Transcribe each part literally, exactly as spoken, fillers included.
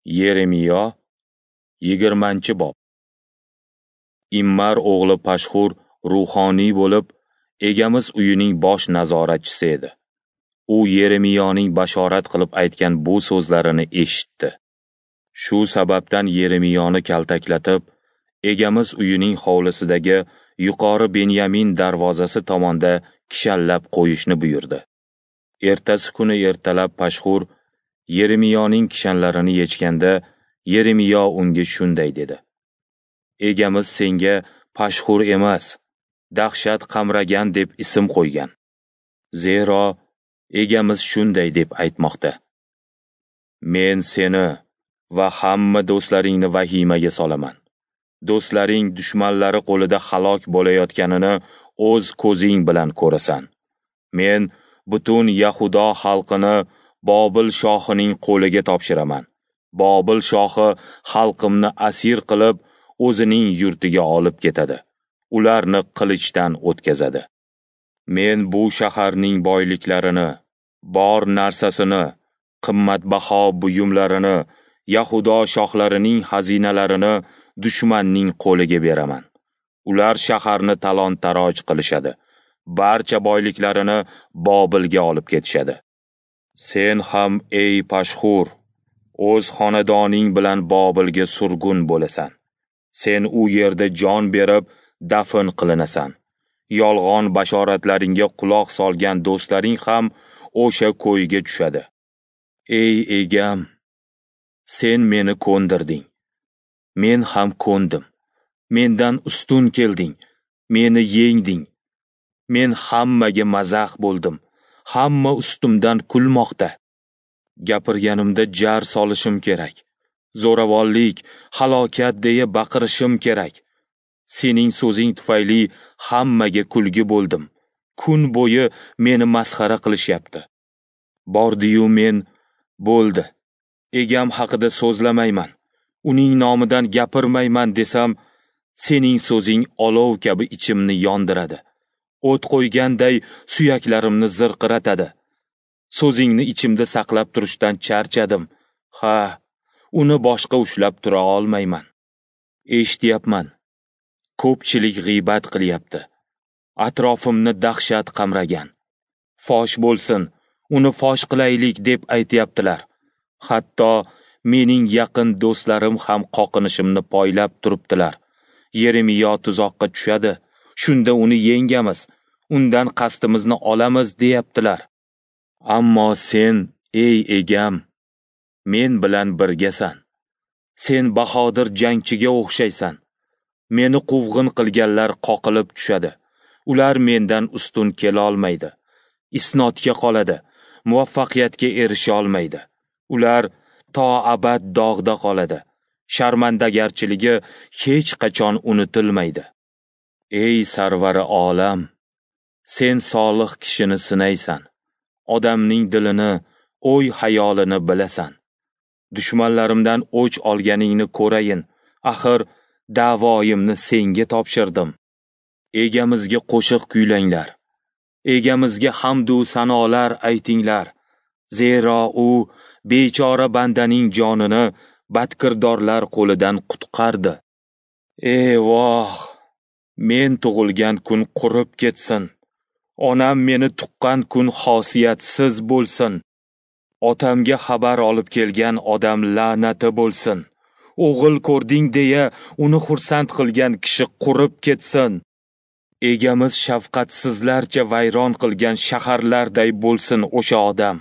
Yeremiyo, yigirmanchi bob. Immar o'g'li Pashxur ruhoniy bo'lib, egamiz uyining bosh nazoratchisi edi. U Yeremiyoning bashorat qilib aytgan bu so'zlarini eshitdi. Shu sababdan Yeremiyoni kaltaklatib, egamiz uyining hovlisidagi yuqori Benyamin darvozasi tomonda kishallab qo'yishni buyurdi. Ertasi kuni ertalab Pashxur Yeremiyoning kishanlarini yechganda, Yeremiyo unga shunday dedi: Egamiz senga Pashxur emas, dahshat qamragan deb ism qo'ygan. Zero egamiz shunday deb aytmoqda: Men seni va hamma do'stlaringni vahimaga solaman. Do'stlaring dushmanlari qo'lida halok bo'layotganini o'z ko'zing bilan ko'rasan. Men butun Yahudo xalqini Bobil shohining qo'liga topshiraman. Bobil shohi xalqimni asir qilib, o'zining yurtiga olib ketadi. Ularni qilichdan o'tkazadi. Men bu shaharning boyliklarini, bor narsasini, qimmatbaho buyumlarini, Yahudo shohlarining xazinalarini dushmanning qo'liga beraman. Ular shaharni talon-taroj qilishadi. Barcha boyliklarini Bobilga olib ketishadi. Sen ham, ey Pashxur, o'z xonadoning bilan Bobilga surgun bo'lasan. Sen u yerda jon berib, dafn qilinasan. Yolg'on bashoratlaringga quloq solgan do'stlaring ham o'sha ko'yga tushadi. Ey egam, sen meni ko'ndirding. Men ham ko'ndim. Mendan ustun kelding, meni yengding. Men hammaga mazax bo'ldim. Hamma ustimdan kulmoqda. Gapirganimda jar solishim kerak. Zo'ravonlik, halokat deya baqirishim kerak. Sening so'zing tufayli hammaga kulgi bo'ldim. Kun bo'yi meni masxara qilishyapti. Bordi-yu men bo'ldi. Egam haqida so'zlamayman. Uning nomidan gapirmayman desam, sening so'zing olov kabi ichimni yondiradi. O't qo'yganday suyaklarimni zirqiratadi. So'zingni ichimda saqlab turishdan charchadim. Ha, uni boshqa ushlab tura olmayman. Eshityapman. Ko'pchilik g'iybat qilyapti. Atrofimni dahshat qamragan. Fosh bo'lsin, uni fosh qilaylik deb aytyaptilar. Hatto mening yaqin do'stlarim ham qoqinishimni poylab turibdilar. Yeremiyo tuzoqqa tushadi. Shunda uni yengamiz, undan qasdimizni olamiz deyaptilar. Ammo sen, ey egam, men bilan birgasan. Sen bahodir jangchiga o'xshaysan. Meni quvg'in qilganlar qoqilib tushadi. Ular mendan ustun kela olmaydi. Isnodga qoladi, muvaffaqiyatga erisha olmaydi. Ular to abad dog'da qoladi. Sharmandagarchiligi hech qachon unutilmaydi. Ey sarvari olam, sen solih kishini sinaysan. Odamning dilini, o'y-xayolini bilasan. Dushmanlarimdan o'ch olganingni ko'rayin. Axir da'voyimni senga topshirdim. Egamizga qo'shiq kuylanglar. Egamizga hamd u sanolar aytinglar. Zero u bechora bandaning jonini badkirdorlar qo'lidan qutqardi. Ey voh! Men tug'ilgan kun qurib ketsin. Onam meni tuqqan kun xosiyatsiz bo'lsin. Otamga xabar olib kelgan odam la'nati bo'lsin. O'g'il ko'rding deya uni xursand qilgan kishi qurib ketsin. Egamiz shafqatsizlarcha vayron qilgan shaharlarday bo'lsin o'sha odam.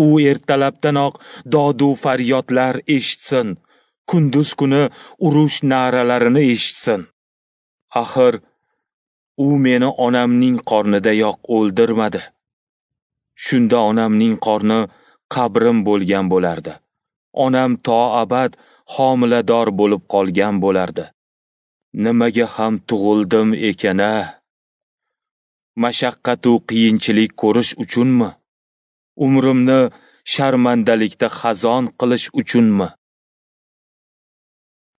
U ertalabdanoq dodu faryodlar eshitsin. Kunduz kuni urush na'ralarini eshitsin. Axir u meni onamning qornidayoq o'ldirmadi. Shunda onamning qorni qabrim bo'lgan bo'lardi. Onam to abad homilador bo'lib qolgan bo'lardi. Nimaga ham tug'ildim ekan-a? Mashaqqat-u qiyinchilik ko'rish uchunmi? Umrimni sharmandalikda xazon qilish uchunmi?